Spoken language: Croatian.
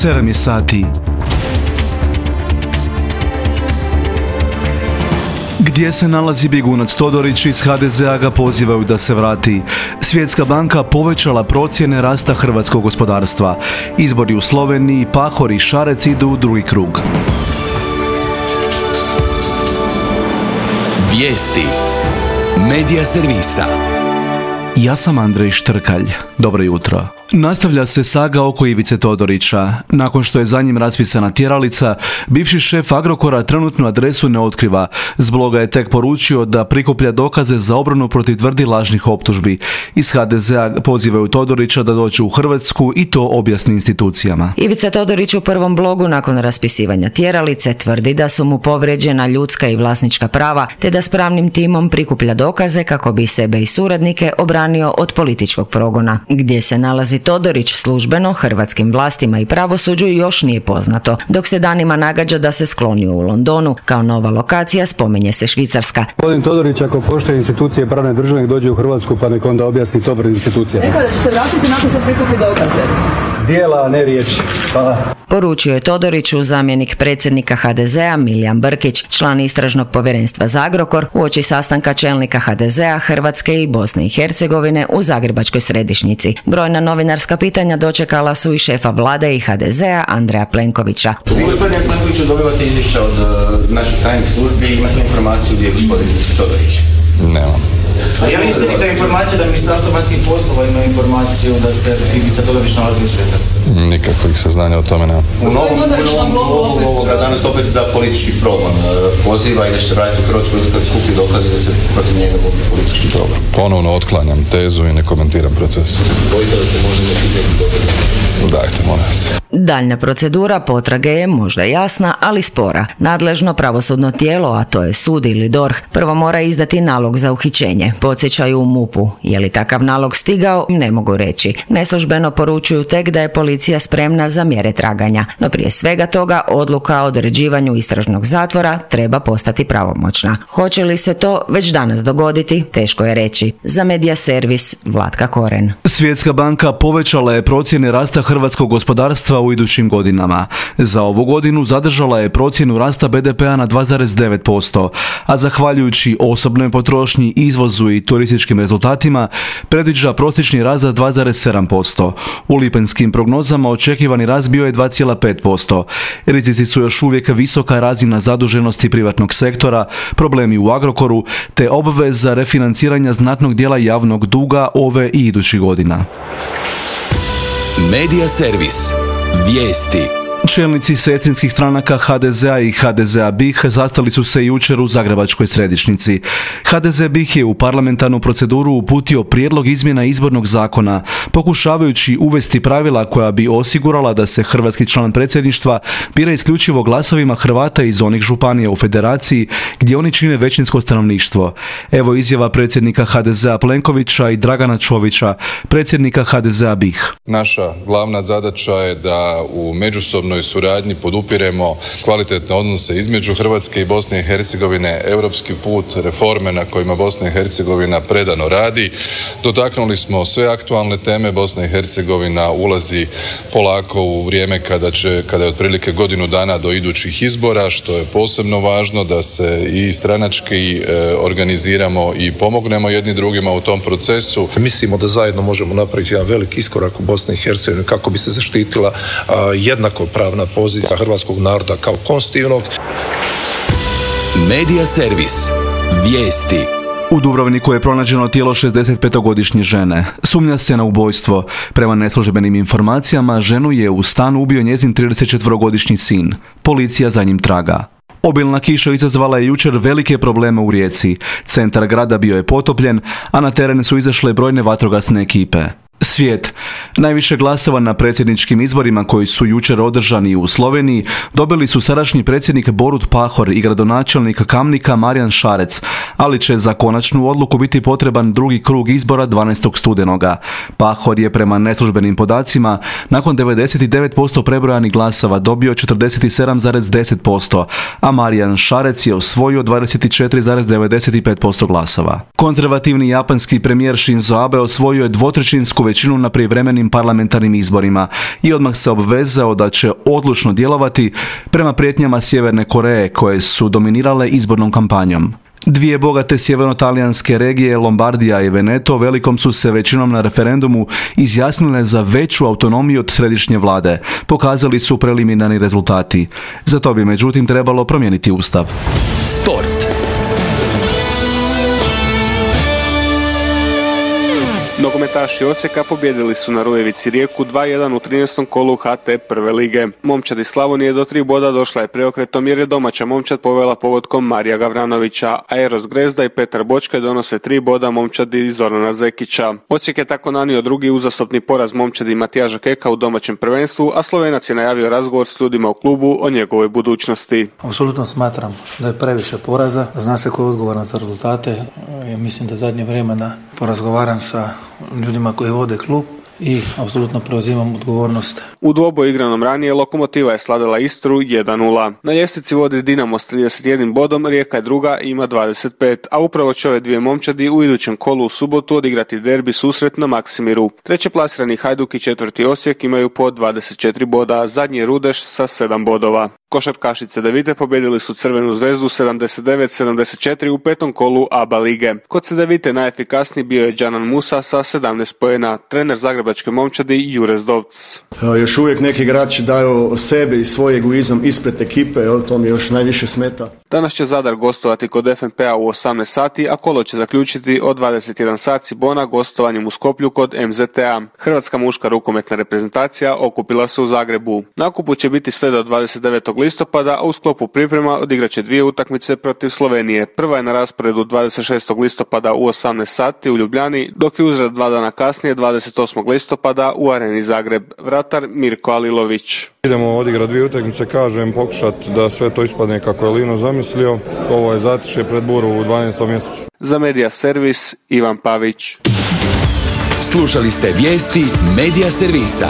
7 je sati. Gdje se nalazi bjegunac Todorić, iz HDZ-a ga pozivaju da se vrati. Svjetska banka povećala procjene rasta hrvatskog gospodarstva. Izbori u Sloveniji, Pahor i Šarec idu u drugi krug. Vijesti Medija servisa. Ja sam Andrej Štrkalj. Dobro jutro. Nastavlja se saga oko Ivice Todorića. Nakon što je za njim raspisana tjeralica, bivši šef Agrokora trenutnu adresu ne otkriva. S bloga je tek poručio da prikuplja dokaze za obranu protiv tvrdi lažnih optužbi. Iz HDZ-a pozivaju Todorića da dođe u Hrvatsku i to objasni institucijama. Ivica Todorić u prvom blogu nakon raspisivanja tjeralice tvrdi da su mu povrijeđena ljudska i vlasnička prava, te da s pravnim timom prikuplja dokaze kako bi sebe i suradnike obranio od političkog progona. Gdje se nalazi Todorić službeno hrvatskim vlastima i pravosuđu još nije poznato, dok se danima nagađa da se sklonio u Londonu. Kao nova lokacija spominje se Švicarska. Gospodin Todorić, ako poštuje institucije pravne države, dođe u Hrvatsku pa nek onda objasni to pred institucijama. Rekao da će se vratiti nakon što prikupi dokaze. Dijela, a ne riječi. Poručio je Todoriću zamjenik predsjednika HDZ-a Milijan Brkić, član istražnog povjerenstva za Agrokor, uoči sastanka čelnika HDZ-a Hrvatske i Bosne i Hercegovine u Zagrebačkoj središnjici. Brojna novinarska pitanja dočekala su i šefa vlade i HDZ-a Andreja Plenkovića. Vi, gospodine Plenkoviću, dobivate izvješća od naših tajnih službi i imate informaciju gdje je gospodin Todorić? Nemam. A je li istinita informacija da Ministarstvo vanjskih poslova ima informaciju da se Ivica Todorić nalazi u Švicarskoj? Nikakvih saznanja o tome nema. U novom blogu danas opet za politički progon poziva i da će se vratiti u Hrvatsku kad skupi dokaze da se protiv njega vodi politički progon. Ponovno otklanjam tezu i ne komentiram proces. Bojite da se može neki dokaze? Dajte, molim vas. Daljnja procedura potrage je možda jasna, ali spora. Nadležno pravosudno tijelo, a to je sud ili DORH, prvo mora izdati nalog za uhićenje. Podsjećaju u MUP-u. Je li takav nalog stigao, ne mogu reći. Neslužbeno poručuju tek da je policija spremna za mjere traganja. No prije svega toga, odluka o određivanju istražnog zatvora treba postati pravomoćna. Hoće li se to već danas dogoditi, teško je reći. Za Medija servis, Vlatka Koren. Svjetska banka povećala je procjene rasta hrvatskog gospodarstva u idućim godinama. Za ovu godinu zadržala je procjenu rasta BDP-a na 2,9%, a zahvaljujući osobnoj potrošnji, izvozu i turističkim rezultatima predviđa prosječni rast za 2,7%. U lipenskim prognozama očekivani rast bio je 2,5%. Rizici su još uvijek visoka razina zaduženosti privatnog sektora, problemi u Agrokoru te obveza refinanciranja znatnog dijela javnog duga ove i idućih godina. Medija servis. Vijesti. Čelnici sestrinskih stranaka HDZ-a i HDZ-a BiH sastali su se jučer u Zagrebačkoj središnjici. HDZ BiH je u parlamentarnu proceduru uputio prijedlog izmjena izbornog zakona, pokušavajući uvesti pravila koja bi osigurala da se hrvatski član predsjedništva bira isključivo glasovima Hrvata iz onih županija u federaciji gdje oni čine većinsko stanovništvo. Evo izjava predsjednika HDZ-a Plenkovića i Dragana Čovića, predsjednika HDZ-a BiH. Naša glavna zadaća je da u međusobnoj suradnji podupiremo kvalitetne odnose između Hrvatske i Bosne i Hercegovine, europski put, reforme na kojima Bosna i Hercegovina predano radi. Dotaknuli smo sve aktualne teme. Bosna i Hercegovina ulazi polako u vrijeme kada je otprilike godinu dana do idućih izbora, što je posebno važno da se i stranački organiziramo i pomognemo jedni drugima u tom procesu. Mislimo da zajedno možemo napraviti jedan veliki iskorak u Bosni i Hercegovini kako bi se zaštitila jednakopravna pozicija hrvatskog naroda kao konstitutivnog. Medija servis. Vijesti. U Dubrovniku je pronađeno tijelo 65-godišnje žene. Sumnja se na ubojstvo. Prema neslužbenim informacijama, ženu je u stanu ubio njezin 34-godišnji sin. Policija za njim traga. Obilna kiša izazvala je jučer velike probleme u Rijeci. Centar grada bio je potopljen, a na teren su izašle brojne vatrogasne ekipe. Svijet. Najviše glasova na predsjedničkim izborima koji su jučer održani u Sloveniji dobili su sadašnji predsjednik Borut Pahor i gradonačelnik Kamnika Marijan Šarec, ali će za konačnu odluku biti potreban drugi krug izbora 12. studenoga. Pahor je prema neslužbenim podacima nakon 99% prebrojanih glasova dobio 47,10%, a Marijan Šarec je osvojio 24,95% glasova. Konzervativni japanski premijer Shinzo Abe osvojio je dvotrećinsku većinu većinu na prijevremenim parlamentarnim izborima i odmah se obvezao da će odlučno djelovati prema prijetnjama Sjeverne Koreje koje su dominirale izbornom kampanjom. Dvije bogate sjeverno-talijanske regije, Lombardija i Veneto, velikom su se većinom na referendumu izjasnile za veću autonomiju od središnje vlade, pokazali su preliminarni rezultati. Za to bi međutim trebalo promijeniti ustav. Sport. Nogometaši Osijeka pobijedili su na Rujevici Rijeku 2-1 u 13. kolu HT prve lige. Momčad iz Slavonije do 3 boda došla je preokretom jer je domaća momčad povela pogodkom Marija Gavranovića, a Eros Grezda i Petar Bočkaj donose 3 boda momčadi iz Zorana Zekića. Osijek je tako nanio drugi uzastopni poraz momčadi Matijaža Keka u domaćem prvenstvu, a Slovenac je najavio razgovor s ljudima u klubu o njegovoj budućnosti. Apsolutno smatram da je previše poraza, zna se ko je odgovoran za rezultate. Ja mislim da zadnje vremena porazgovaram sa ljudima koji vode klub i apsolutno preuzimam odgovornost. U dvoboju igranom ranije Lokomotiva je slavila Istru 1-0. Na ljestvici vodi Dinamo s 31 bodom, Rijeka je druga i ima 25, a upravo će ove dvije momčadi u idućem kolu u subotu odigrati derbi susret na Maksimiru. Treće plasirani Hajduk i četvrti Osijek imaju po 24 boda, zadnji je Rudeš sa 7 bodova. Košarkašice Cedevite pobjedili su Crvenu zvezdu 79-74 u petom kolu ABA lige. Kod Cedevite najefikasniji bio je Džanan Musa sa 17 poena, trener zagrebačke momčadi Jure Zdovc. Još uvijek neki igrači daju sebe i svoj egoizam ispred ekipe, to mi još najviše smeta. Danas će Zadar gostovati kod FNP-a u 18 sati, a kolo će zaključiti od 21 sat Cibona gostovanjem u Skoplju kod MZT-a. Hrvatska muška rukometna reprezentacija okupila se u Zagrebu. Na okupu će biti sve do 29. listopada, a u sklopu priprema odigraće dvije utakmice protiv Slovenije. Prva je na rasporedu 26. listopada u 18 sati u Ljubljani, dok je uzrat 2 dana kasnije 28. listopada u Areni Zagreb. Vratar Mirko Alilović. Idemo odigrati dvije utakmice, kažem, pokušati da sve to ispadne kako je Lino zamislio. Ovo je zatišje pred buru u 12. mjesecu. Za Medija Servis, Ivan Pavić. Slušali ste vijesti Medija Servisa.